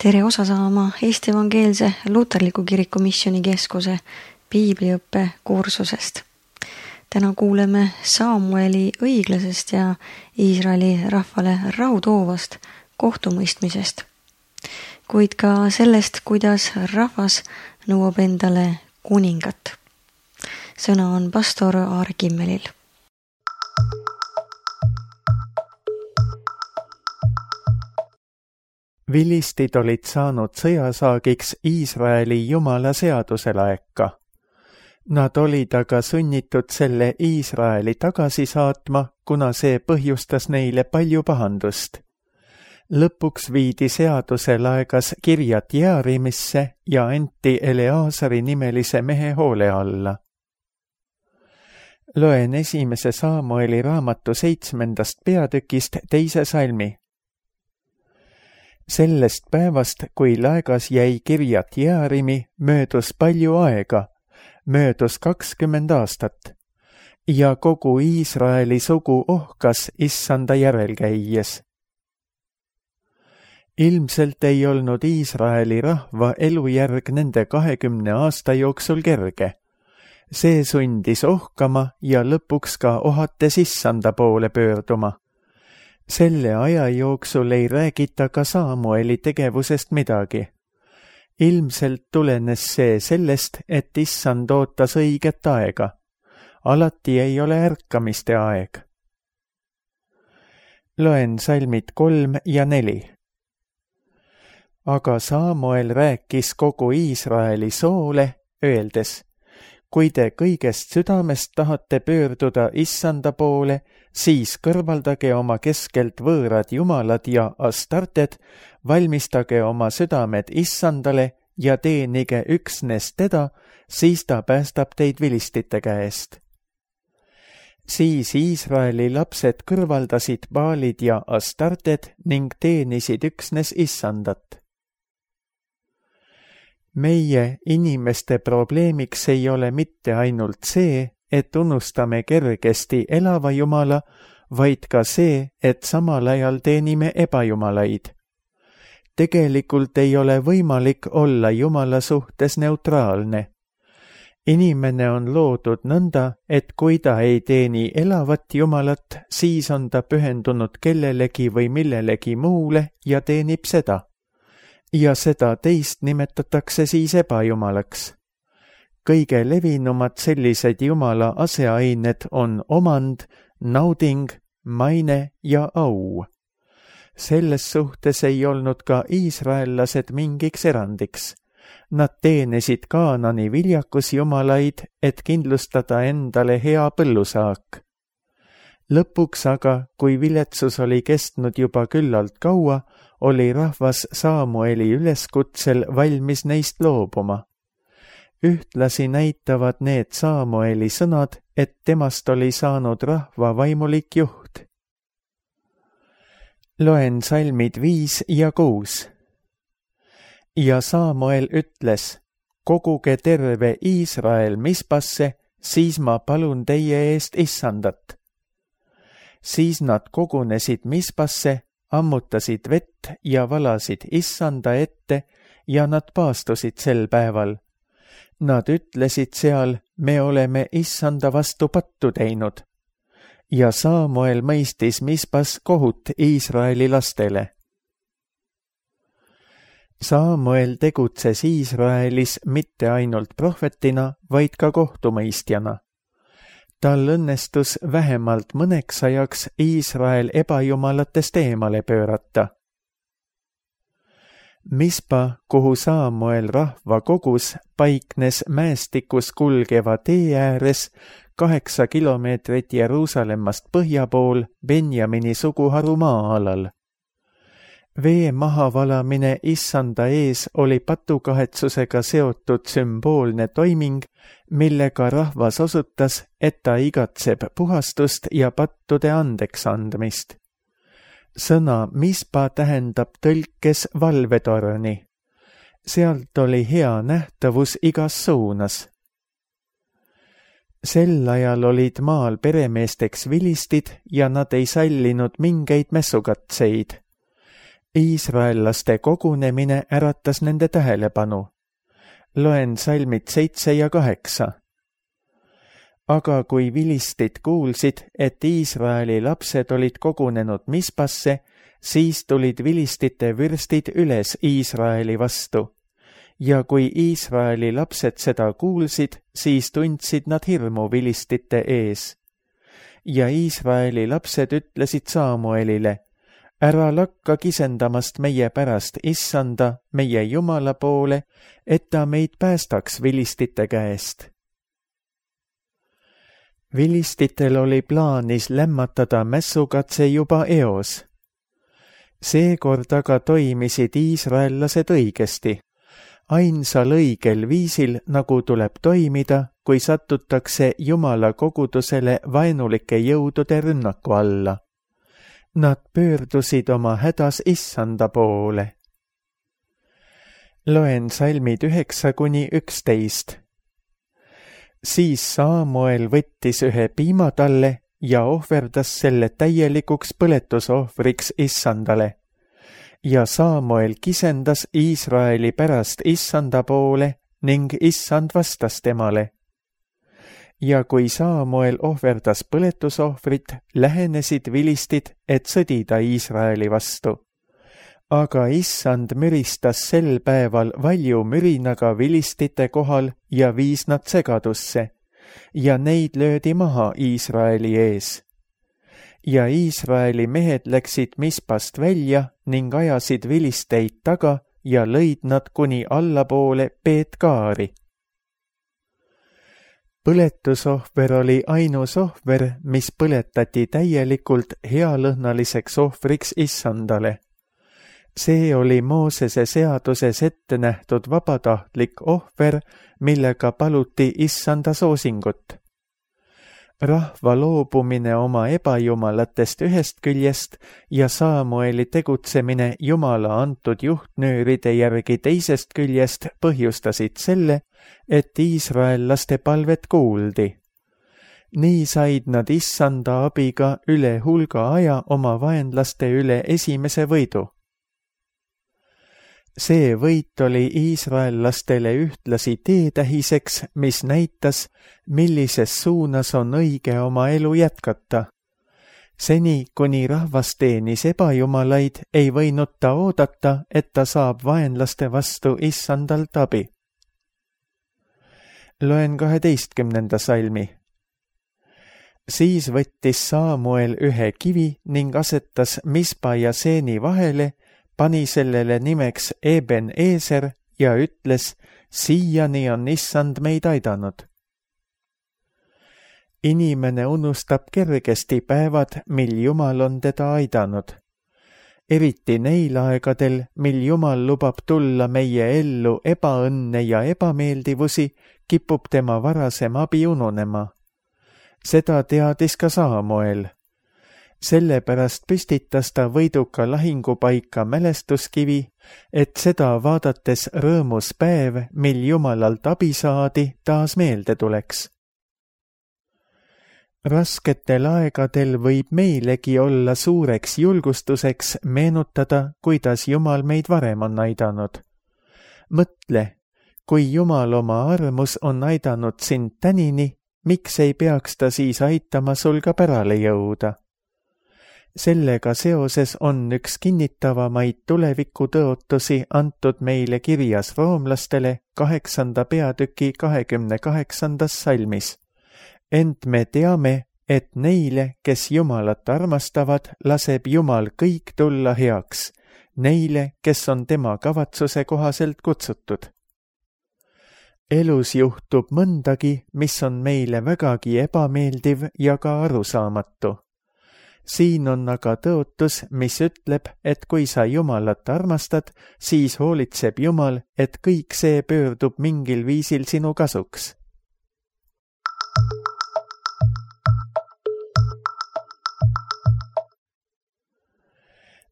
Tere osa saama Eesti Evangeelse Luterliku Kiriku Missioonikeskuse piibliõppe kursusest. Täna kuuleme Samueli õiglasest ja Iisraeli rahvale rahu toovast kohtumõistmisest, kuid ka sellest, kuidas rahvas nõuab endale kuningat. Sõna on pastor Aare Kimmelil. Vilistid olid saanud sõjasaagiks Iisraeli jumala seaduse laeka. Nad olid aga sunnitud selle Iisraeli tagasi saatma, kuna see põhjustas neile palju pahandust. Lõpuks viidi seaduse laegas Kirjat Jearimisse ja anti Eleazari nimelise mehe hoole alla. Loen 1. Samueli raamatu 7. peatükist 2. salmi. Sellest päevast, kui laegas jäi Kirjat Jearimi, möödus palju aega, möödus 20 aastat, ja kogu Iisraeli sugu ohkas issanda järel käies. Ilmselt ei olnud Iisraeli rahva elujärg nende 20 aasta jooksul kerge. See sundis ohkama ja lõpuks ka ohates issanda poole pöörduma. Selle aja jooksul ei räägita ka Samueli tegevusest midagi. Ilmselt tulenes see sellest, et issand ootas õiget aega. Alati ei ole ärkamiste aeg. Loen salmid 3 ja 4. Aga Samuel rääkis kogu Iisraeli soole, öeldes: kui te kõigest südamest tahate pöörduda issanda poole, siis kõrvaldage oma keskelt võõrad jumalad ja astarted, valmistage oma südamed issandale ja teenige üksnes teda, siis ta päästab teid vilistite käest. Siis Iisraeli lapsed kõrvaldasid baalid ja astarted ning teenisid üksnes issandat. Meie inimeste probleemiks ei ole mitte ainult see, et unustame kergesti elava jumala, vaid ka see, et samal ajal teenime ebajumalaid. Tegelikult ei ole võimalik olla jumala suhtes neutraalne. Inimene on loodud nõnda, et kui ta ei teeni elavat jumalat, siis on ta pühendunud kellelegi või millelegi muule ja teenib seda. Ja seda teist nimetatakse siis ebajumalaks. Kõige levinumad sellised jumala aseained on omand, nauding, maine ja au. Selles suhtes ei olnud ka iisraellased mingiks erandiks. Nad teenisid Kaanani viljakusjumalaid, et kindlustada endale hea põllusaak. Lõpuks aga, kui viletsus oli kestnud juba küllalt kaua, oli rahvas Samueli üleskutsel valmis neist loobuma. Ühtlasi näitavad need Samueli sõnad, et temast oli saanud rahva vaimulik juht. Loen salmid 5 ja 6. Ja Samuel ütles: koguge terve Iisrael Mispasse, siis ma palun teie eest issandat. Siis nad kogunesid Mispasse, ammutasid vett ja valasid issanda ette ja nad paastusid sel päeval. Nad ütlesid seal: me oleme issanda vastu pattu teinud. Ja Samuel mõistis Mispas kohut Iisraeli lastele. Samuel tegutses Iisraelis mitte ainult prohvetina, vaid ka kohtumõistjana. Tal õnnestus vähemalt mõneks ajaks Iisrael ebajumalatest eemale pöörata. Mispa, kuhu Samuel rahva kogus, paiknes mäestikus kulgeva tee ääres 8 kilomeetrit Jeruusalemmast põhja pool Benjamini suguharu maa-alal. Vee mahavalamine issanda ees oli patukahetsusega seotud sümboolne toiming, millega rahvas osutas, et ta igatseb puhastust ja pattude andeks andmist. Sõna Mispa tähendab tõlkes valvetorni. Sealt oli hea nähtavus igas suunas. Sel ajal olid maal peremeesteks vilistid ja nad ei sallinud mingeid messukatseid. Iisraellaste kogunemine äratas nende tähelepanu. Loen salmid 7 ja 8. Aga kui vilistid kuulsid, et Iisraeli lapsed olid kogunenud Mispasse, siis tulid vilistite vürstid üles Iisraeli vastu. Ja kui Iisraeli lapsed seda kuulsid, siis tundsid nad hirmu vilistite ees. Ja Iisraeli lapsed ütlesid Saamuelile, ära lakka kisendamast meie pärast Issanda, meie Jumala poole, et ta meid päästaks vilistite käest. Vilistitel oli plaanis lämmatada mässukatse juba eos. Seekord aga toimisid iisraellased õigesti. Ainsal õigel viisil, nagu tuleb toimida, kui satutakse Jumala kogudusele vaenulike jõudude rünnaku alla. Nad pöördusid oma hädas Issanda poole. Loen salmid 9-11. Siis Saamuel võttis ühe piimatalle ja ohverdas selle täielikuks põletusohvriks Issandale. Ja Saamuel kisendas Iisraeli pärast Issanda poole ning Issand vastas temale. Ja kui Saamuel ohverdas põletusohvrit, lähenesid vilistid, et sõdida Iisraeli vastu. Aga Issand müristas sel päeval valju mürinaga vilistite kohal ja viis nad segadusse, ja neid löödi maha Iisraeli ees. Ja Iisraeli mehed läksid Mispast välja ning ajasid vilisteid taga ja lõid nad kuni allapoole Peetkaari. Põletusohver oli ainus ohver, mis põletati täielikult healõhnaliseks ohvriks Issandale. See oli Moosese seaduses ette nähtud vabatahtlik ohver, millega paluti Issanda soosingut. Rahva loobumine oma ebajumalatest ühest küljest ja Saamueli tegutsemine Jumala antud juhtnööride järgi teisest küljest põhjustasid selle, et iisraellaste palvet kuuldi. Nii said nad Issanda abiga üle hulga aja oma vaenlaste üle esimese võidu. See võit oli iisraellastele ühtlasi teetähiseks, mis näitas, millises suunas on õige oma elu jätkata. Seni, kuni rahvas teenis ebajumalaid, ei võinud ta oodata, et ta saab vaenlaste vastu Issandalt abi. Loen 12. salmi. Siis võttis Saamuel ühe kivi ning asetas Mispa ja Seeni vahele, pani sellele nimeks Eben Eeser ja ütles, siiani on Issand meid aidanud. Inimene unustab kergesti päevad, mil Jumal on teda aidanud. Eriti neil aegadel, mil Jumal lubab tulla meie ellu ebaõnne ja ebameeldivusi, kipub tema varasem abi ununema. Seda teadis ka Saamuel. Sellepärast püstitas ta võiduka lahingupaika mälestuskivi, et seda vaadates rõõmus päev, mil Jumalalt abi saadi, taas meelde tuleks. Rasketel aegadel võib meilegi olla suureks julgustuseks meenutada, kuidas Jumal meid varem on aidanud. Mõtle, kui Jumal oma armus on aidanud sind tänini, miks ei peaks ta siis aitama sul ka pärale jõuda? Sellega seoses on üks kinnitavamaid tulevikutõotusi antud meile kirjas roomlastele 8. peatüki 28. salmis. Ent me teame, et neile, kes Jumalat armastavad, laseb Jumal kõik tulla heaks, neile, kes on tema kavatsuse kohaselt kutsutud. Elus juhtub mõndagi, mis on meile vägagi ebameeldiv ja ka arusaamatu. Siin on aga tõotus, mis ütleb, et kui sa Jumalat armastad, siis hoolitseb Jumal, et kõik see pöördub mingil viisil sinu kasuks.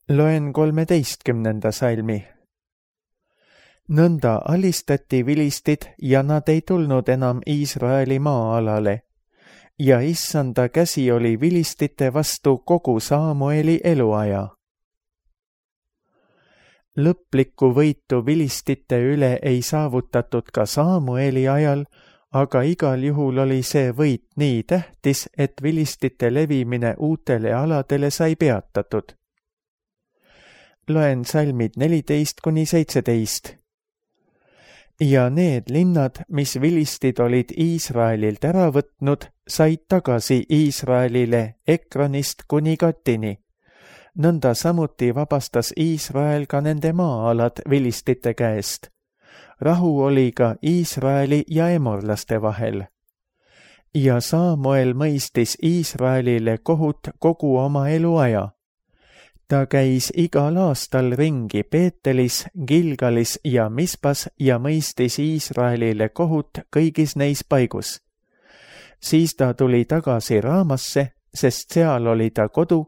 Loen 13. salmi. Nõnda alistati vilistid ja nad ei tulnud enam Iisraeli maa-alale. Ja Issanda käsi oli vilistite vastu kogu Saamueli eluaja. Lõplikku võitu vilistite üle ei saavutatud ka Saamueli ajal, aga igal juhul oli see võit nii tähtis, et vilistite levimine uutele aladele sai peatatud. Loen salmid 14–17. Ja need linnad, mis vilistid olid Iisraelilt ära võtnud, said tagasi Iisraelile Ekronist kuni Gatini. Nõnda samuti vabastas Iisrael ka nende maa-alad vilistite käest. Rahu oli ka Iisraeli ja emorlaste vahel. Ja Saamuel mõistis Iisraelile kohut kogu oma eluaja. Ta käis igal aastal ringi Peetelis, Gilgalis ja Mispas ja mõistis Iisraelile kohut kõigis neis paigus. Siis ta tuli tagasi Raamasse, sest seal oli ta kodu,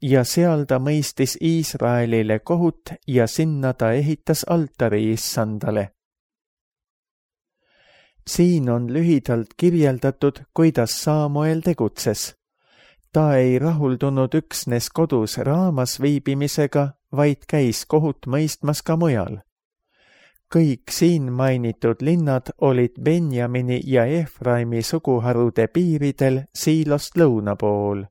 ja seal ta mõistis Iisraelile kohut ja sinna ta ehitas altari Issandale. Siin on lühidalt kirjeldatud, kuidas Saamuel tegutses. Ta ei rahuldunud üksnes kodus Raamas viibimisega, vaid käis kohut mõistmas ka mujal. Kõik siin mainitud linnad olid Benjamini ja Efraimi suguharude piiridel Siilost lõuna pool.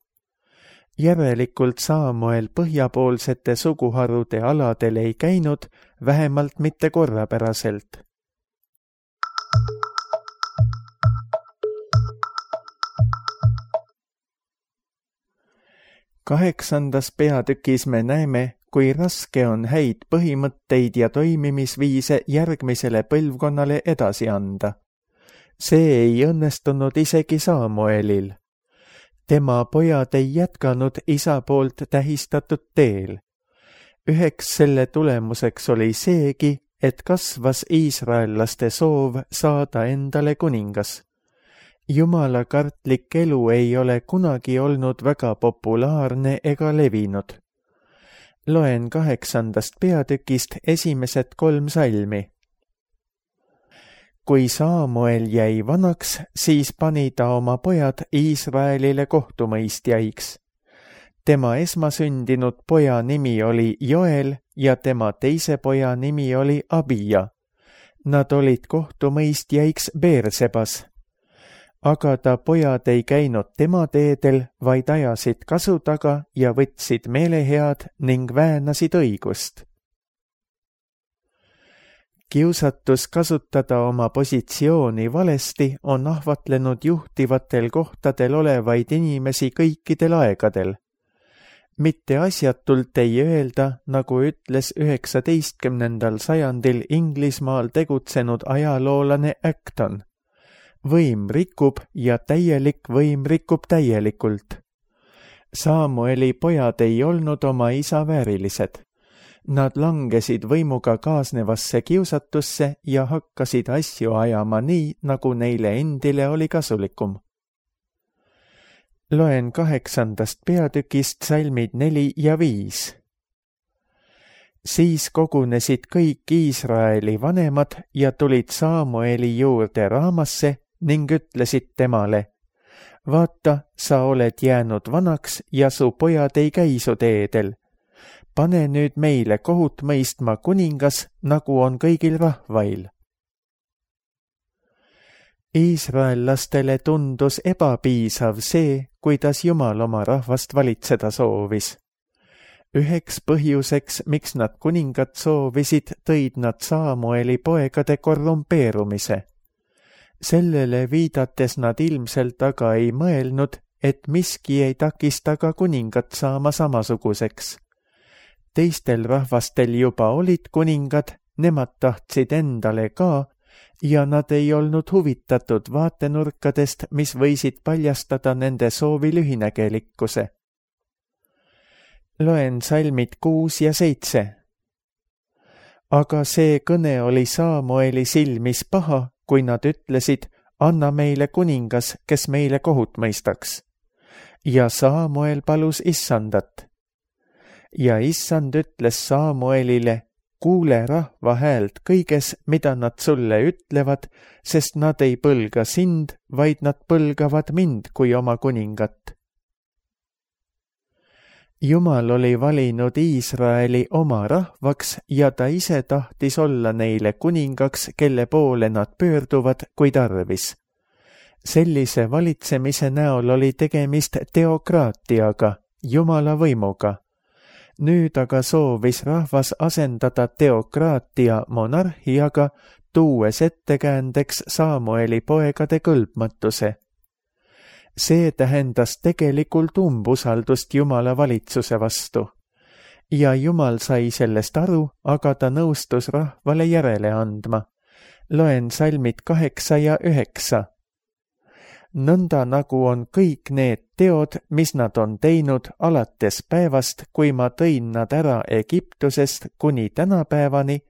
Järelikult Saamuel põhjapoolsete suguharude aladel ei käinud, vähemalt mitte korrapäraselt. 8. peatükis me näeme, kui raske on häid põhimõtteid ja toimimisviise järgmisele põlvkonnale edasi anda. See ei õnnestunud isegi Saamuelil. Tema pojad ei jätkanud isa poolt tähistatud teel. Üheks selle tulemuseks oli seegi, et kasvas iisraellaste soov saada endale kuningas. Jumalakartlik elu ei ole kunagi olnud väga populaarne ega levinud. Loen 8. peatükist esimesed 3 salmi. Kui Saamuel jäi vanaks, siis pani ta oma pojad Iisraelile kohtumõistjaiks. Tema esmasündinud poja nimi oli Joel ja tema teise poja nimi oli Abija. Nad olid kohtumõistjaiks Beersebas. Aga ta pojad ei käinud tema teedel, vaid ajasid kasu taga ja võtsid meelehead ning väänasid õigust. Kiusatus kasutada oma positsiooni valesti on ahvatlenud juhtivatel kohtadel olevaid inimesi kõikidel aegadel. Mitte asjatult ei öelda, nagu ütles 19. sajandil Inglismaal tegutsenud ajaloolane Acton. Võim rikub ja täielik võim rikub täielikult. Saamueli pojad ei olnud oma isa väärilised. Nad langesid võimuga kaasnevasse kiusatusse ja hakkasid asju ajama nii, nagu neile endile oli kasulikum. Loen 8. peatükist salmid 4 ja 5. Siis kogunesid kõik Iisraeli vanemad ja tulid Saamueli juurde Raamasse ning ütlesid temale, vaata, sa oled jäänud vanaks ja su pojad ei käi su teedel. Pane nüüd meile kohut mõistma kuningas, nagu on kõigil rahvail. Iisraellastele tundus ebapiisav see, kuidas Jumal oma rahvast valitseda soovis. Üheks põhjuseks, miks nad kuningat soovisid, tõid nad Saamueli poegade korrumpeerumise. Sellele viidates nad ilmselt aga ei mõelnud, et miski ei takista ka kuningat saama samasuguseks. Teistel rahvastel juba olid kuningad, nemad tahtsid endale ka ja nad ei olnud huvitatud vaatenurkadest, mis võisid paljastada nende soovi lühinägelikkuse. Loen salmid 6 ja 7. Aga see kõne oli Saamueli silmis paha, kui nad ütlesid, anna meile kuningas, kes meile kohut mõistaks. Ja Saamuel palus Issandat. Ja Issand ütles Saamuelile, kuule rahva häält kõiges, mida nad sulle ütlevad, sest nad ei põlga sind, vaid nad põlgavad mind kui oma kuningat. Jumal oli valinud Iisraeli oma rahvaks ja ta ise tahtis olla neile kuningaks, kelle poole nad pöörduvad, kui tarvis. Sellise valitsemise näol oli tegemist teokraatiaga, Jumala võimuga. Nüüd aga soovis rahvas asendada teokraatia monarhiaga, tuues ettekäändeks Samueli poegade kõlbmatuse. See tähendas tegelikult umbusaldust Jumala valitsuse vastu. Ja Jumal sai sellest aru, aga ta nõustus rahvale järele andma. Loen salmid 8 ja 9. Nõnda nagu on kõik need teod, mis nad on teinud alates päevast, kui ma tõin nad ära Egiptusest kuni tänapäevani,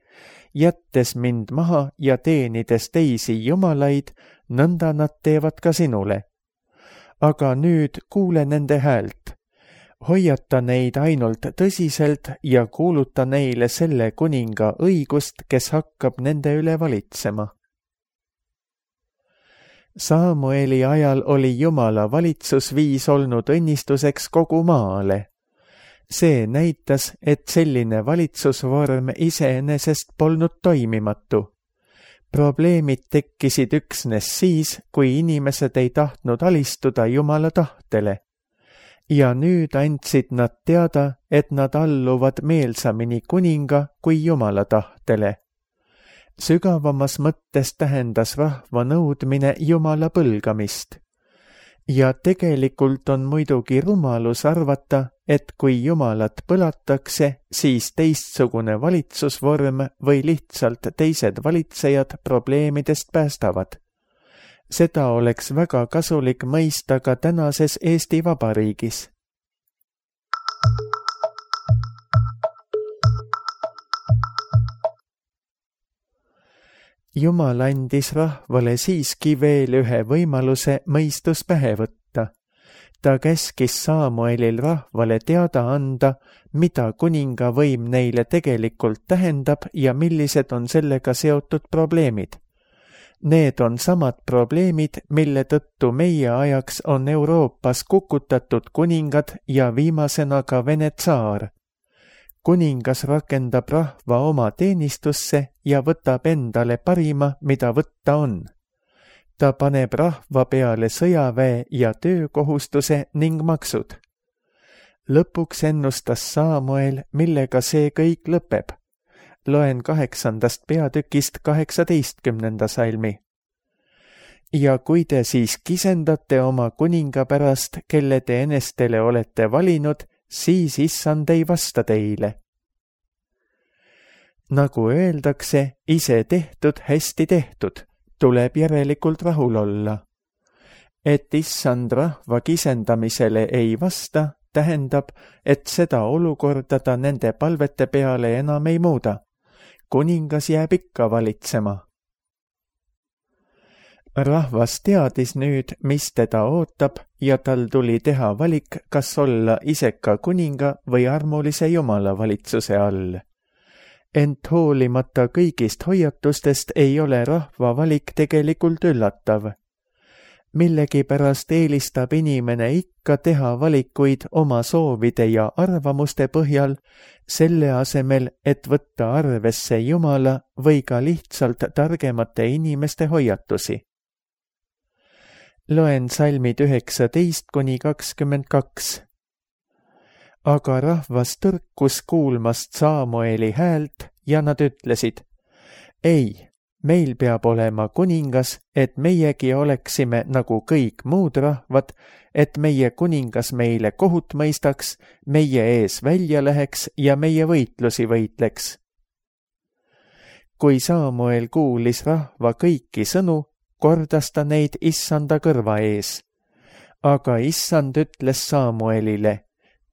jättes mind maha ja teenides teisi jumalaid, nõnda nad teevad ka sinule. Aga nüüd kuule nende häält. Hoiata neid ainult tõsiselt ja kuuluta neile selle kuninga õigust, kes hakkab nende üle valitsema. Samueli ajal oli Jumala valitsusviis olnud õnnistuseks kogu maale. See näitas, et selline valitsusvorm iseenesest polnud toimimatu. Probleemid tekkisid üksnes siis, kui inimesed ei tahtnud alistuda Jumala tahtele. Ja nüüd andsid nad teada, et nad alluvad meelsamini kuninga kui Jumala tahtele. Sügavamas mõttes tähendas rahva nõudmine Jumala põlgamist. Ja tegelikult on muidugi rumalus arvata, et kui Jumalat põlatakse, siis teistsugune valitsusvorm või lihtsalt teised valitsejad probleemidest päästavad. Seda oleks väga kasulik mõista ka tänases Eesti Vabariigis. Jumal andis rahvale siiski veel ühe võimaluse mõistus pähe võtta. Ta käskis Samuelil rahvale teada anda, mida kuninga võim neile tegelikult tähendab ja millised on sellega seotud probleemid. Need on samad probleemid, mille tõttu meie ajaks on Euroopas kukutatud kuningad ja viimasena ka Vene tsaar. Kuningas rakendab rahva oma teenistusse ja võtab endale parima, mida võtta on. Ta paneb rahva peale sõjaväe ja töökohustuse ning maksud. Lõpuks ennustas Samuel, millega see kõik lõpeb. Loen 8. peatükist 18. salmi. Ja kui te siis kisendate oma kuninga pärast, kelle te enestele olete valinud, siis issand ei vasta teile. Nagu öeldakse, ise tehtud, hästi tehtud, tuleb järelikult rahul olla. Et issand rahva kisendamisele ei vasta, tähendab, et seda olukorda ta nende palvete peale enam ei muuda. Kuningas jääb ikka valitsema. Rahvas teadis nüüd, mis teda ootab ja tal tuli teha valik, kas olla iseka kuninga või armulise Jumala valitsuse all. Ent hoolimata kõigist hoiatustest ei ole rahva valik tegelikult üllatav. Millegipärast eelistab inimene ikka teha valikuid oma soovide ja arvamuste põhjal, selle asemel, et võtta arvesse Jumala või ka lihtsalt targemate inimeste hoiatusi. Loen salmid 19–22. Aga rahvas tõrkus kuulmast Samueli häält ja nad ütlesid, ei, meil peab olema kuningas, et meiegi oleksime nagu kõik muud rahvad, et meie kuningas meile kohut mõistaks, meie ees välja läheks ja meie võitlusi võitleks. Kui Samuel kuulis rahva kõiki sõnu, kordas ta neid issanda kõrva ees. Aga issand ütles Samuelile,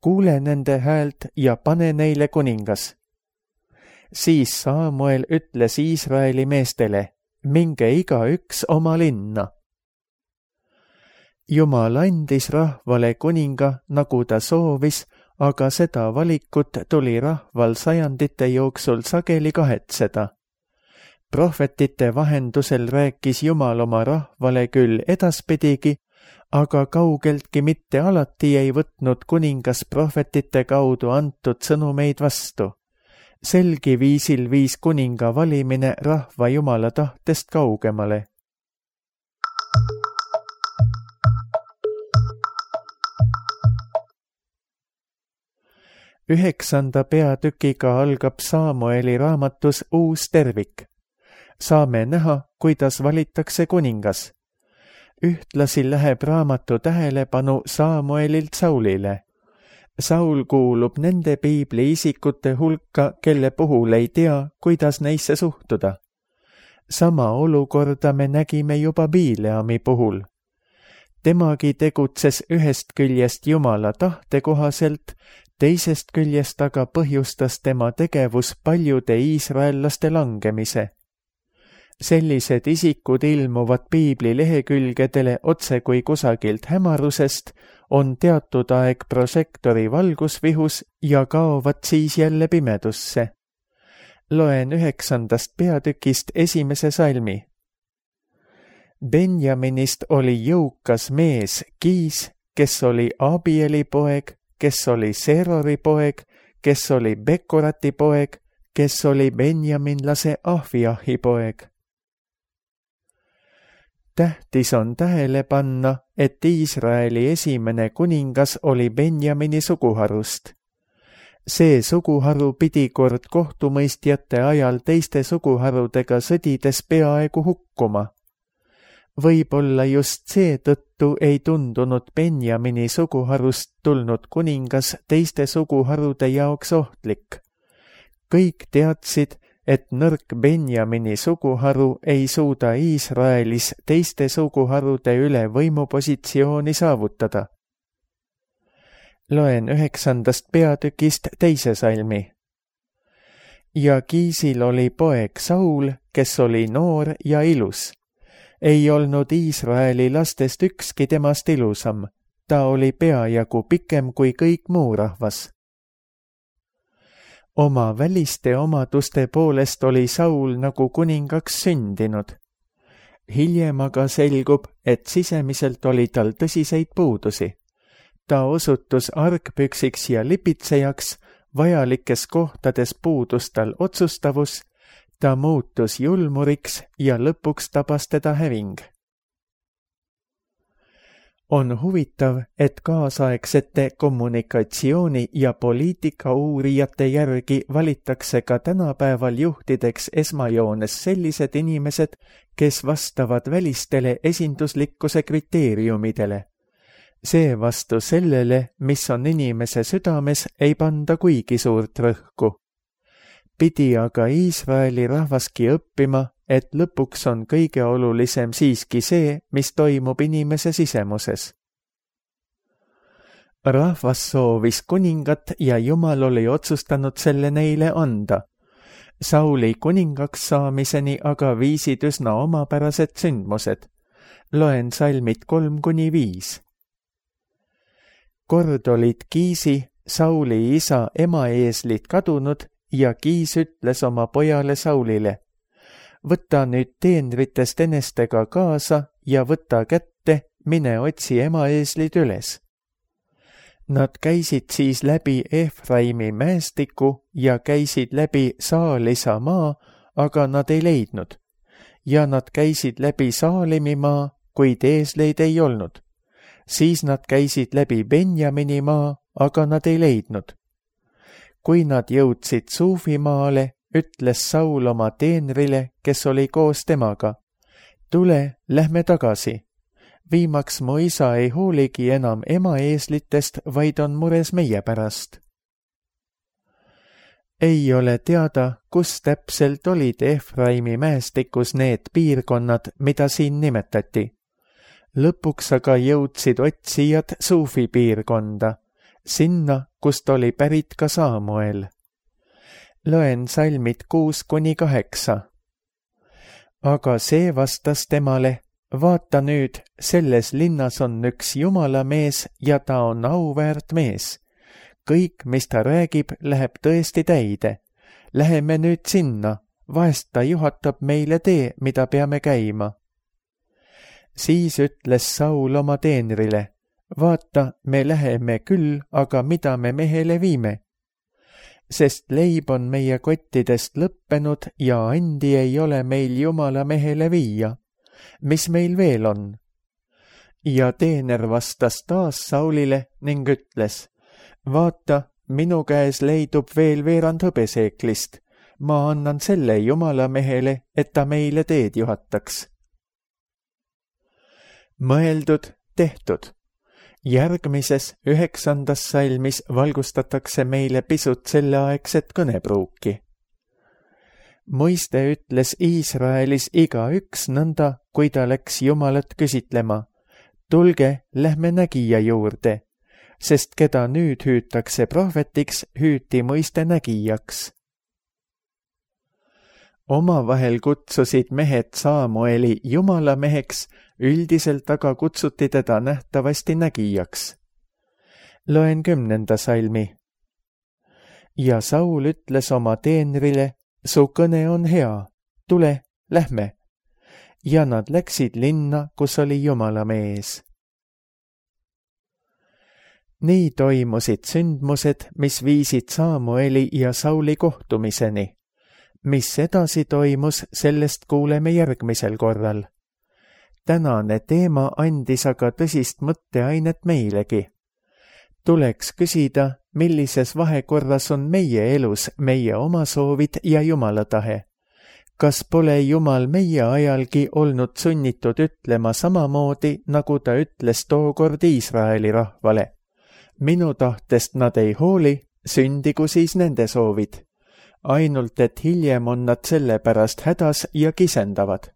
kuule nende häält ja pane neile kuningas. Siis Samuel ütles Iisraeli meestele, minge igaüks oma linna. Jumal andis rahvale kuninga, nagu ta soovis, aga seda valikut tuli rahval sajandite jooksul sageli kahetseda. Prohvetite vahendusel rääkis Jumal oma rahvale küll edaspidigi, aga kaugeltki mitte alati ei võtnud kuningas prohvetite kaudu antud sõnumeid vastu. Selgi viisil viis kuninga valimine rahva Jumala tahtest kaugemale. Üheksanda peatükiga algab Saamueli raamatus uus tervik. Saame näha, kuidas valitakse kuningas. Ühtlasi läheb raamatu tähelepanu Saamuelilt Saulile. Saul kuulub nende piibli isikute hulka, kelle puhul ei tea, kuidas neisse suhtuda. Sama olukorda me nägime juba Bileami puhul. Temagi tegutses ühest küljest Jumala tahte kohaselt, teisest küljest aga põhjustas tema tegevus paljude iisraellaste langemise. Sellised isikud ilmuvad piibli lehekülgedele otse kui kusagilt hämarusest, on teatud aeg prožektori valgusvihus ja kaovad siis jälle pimedusse. Loen 9. peatükist 1. salmi. Benjaminist oli jõukas mees Kiis, kes oli Abieli poeg, kes oli Serori poeg, kes oli Bekorati poeg, kes oli benjaminlase Ahviahi poeg. Tähtis on tähele panna, et Iisraeli esimene kuningas oli Benjamini suguharust. See suguharu pidi kord kohtumõistjate ajal teiste suguharudega sõdides peaaegu hukkuma. Võib-olla just seetõttu ei tundunud Benjamini suguharust tulnud kuningas teiste suguharude jaoks ohtlik. Kõik teadsid, et nõrk Benjamini suguharu ei suuda Iisraelis teiste suguharude üle võimupositsiooni saavutada. Loen 9. peatükist 2. salmi. Ja Kiisil oli poeg Saul, kes oli noor ja ilus. Ei olnud Iisraeli lastest ükski temast ilusam, ta oli peajagu pikem kui kõik muu rahvas. Oma väliste omaduste poolest oli Saul nagu kuningaks sündinud. Hiljem aga selgub, et sisemiselt oli tal tõsiseid puudusi. Ta osutus argpüksiks ja lipitsejaks, vajalikes kohtades puudus tal otsustavus, ta muutus julmuriks ja lõpuks tabas teda häving. On huvitav, et kaasaegsete kommunikatsiooni- ja poliitikauurijate järgi valitakse ka tänapäeval juhtideks esmajoones sellised inimesed, kes vastavad välistele esinduslikkuse kriteeriumidele. Seevastu sellele, mis on inimese südames, ei panda kuigi suurt rõhku. Pidi aga Iisraeli rahvaski õppima, et lõpuks on kõige olulisem siiski see, mis toimub inimese sisemuses. Rahvas soovis kuningat ja Jumal oli otsustanud selle neile anda. Sauli kuningaks saamiseni aga viisid üsna omapärased sündmused. Loen salmid 3-5. Kord olid Kiisi, Sauli isa emaeeslid kadunud ja Kiis ütles oma pojale Saulile: võta nüüd teenritest enestega kaasa ja võta kätte, mine otsi emaeeslid üles. Nad käisid siis läbi Efraimi mäestiku ja käisid läbi Saalisa maa, aga nad ei leidnud. Ja nad käisid läbi Saalimi maa, kuid eesleid ei olnud. Siis nad käisid läbi Benjamini maa, aga nad ei leidnud. Kui nad jõudsid Suufimaale, ütles Saul oma teenrile, kes oli koos temaga: tule, lähme tagasi. Viimaks mu isa ei hooligi enam emaeeslitest, vaid on mures meie pärast. Ei ole teada, kus täpselt olid Efraimi mäestikus need piirkonnad, mida siin nimetati. Lõpuks aga jõudsid otsijad Suufi piirkonda, sinna, kust oli pärit ka Saamuel. Loen salmid 6-8. Aga see vastas temale: vaata nüüd, selles linnas on üks Jumala mees ja ta on auväärt mees. Kõik, mis ta räägib, läheb tõesti täide. Läheme nüüd sinna, vahest ta juhatab meile tee, mida peame käima. Siis ütles Saul oma teenrile, vaata, me läheme küll, aga mida me mehele viime? Sest leib on meie kottidest lõppenud ja andi ei ole meil Jumala mehele viia. Mis meil veel on? Ja teener vastas taas Saulile ning ütles, vaata, minu käes leidub veel veerand hõbeseeklist. Ma annan selle Jumala mehele, et ta meile teed juhataks. Mõeldud, tehtud. Järgmises 9. salmis valgustatakse meile pisut selleaegset kõnepruuki. Moiste ütles Iisraelis igaüks nõnda, kui ta läks Jumalat küsitlema. Tulge, lähme nägija juurde, sest keda nüüd hüütakse prohvetiks, hüüti Moiste nägijaks. Omavahel kutsusid mehed Saamueli Jumala meheks, üldiselt aga kutsuti teda nähtavasti nägijaks. Loen 10. salmi. Ja Saul ütles oma teenrile, su kõne on hea, tule, lähme. Ja nad läksid linna, kus oli Jumala mees. Nii toimusid sündmused, mis viisid Saamueli ja Sauli kohtumiseni. Mis edasi toimus, sellest kuuleme järgmisel korral. Tänane teema andis aga tõsist mõtteainet meilegi. Tuleks küsida, millises vahekorras on meie elus meie oma soovid ja Jumala tahe. Kas pole Jumal meie ajalgi olnud sunnitud ütlema samamoodi, nagu ta ütles tookord Iisraeli rahvale? Minu tahtest nad ei hooli, sündigu siis nende soovid. Ainult, et hiljem on nad selle pärast hädas ja kisendavad.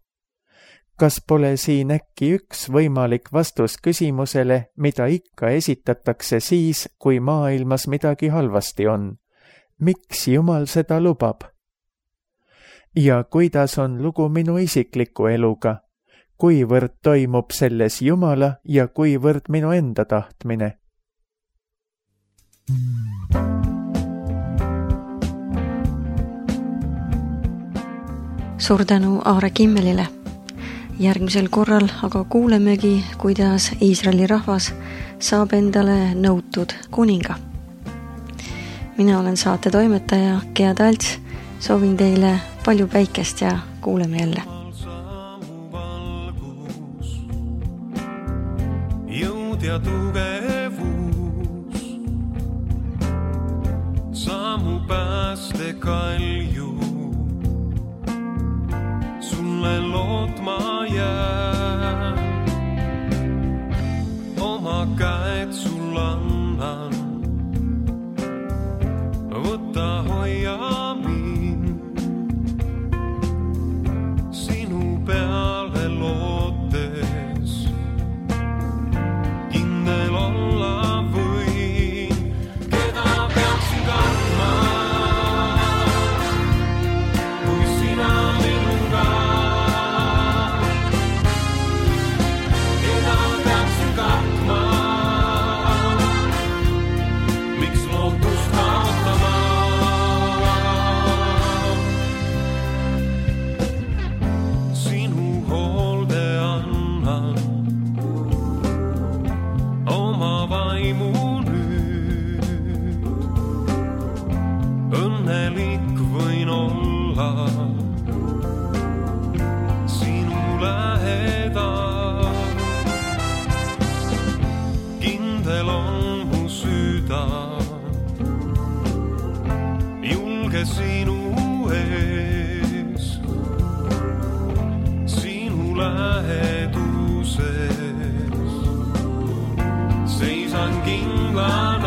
Kas pole siin äkki üks võimalik vastus küsimusele, mida ikka esitatakse siis, kui maailmas midagi halvasti on? Miks Jumal seda lubab? Ja kuidas on lugu minu isikliku eluga? Kuivõrd toimub selles Jumala ja kuivõrd minu enda tahtmine? Suur tänu Aare Kimmelile. Järgmisel korral aga kuulemegi, kuidas Iisraeli rahvas saab endale nõutud kuninga. Mina olen saate toimetaja Gea Talts, soovin teile palju päikest ja kuuleme jälle. Jõud ja tugevus, sammu pääste kalju. Sulle lootma jään, oma käed sul annan. Võta hoia mind, sinu peale lootes. Kindel olla võin, keda peaksin kartma, kui sina minuga. Õnnelik võin olla sinu lähedal. Kindel on mu süda, julge sinu ees, sinu läheduses. Seisan kindla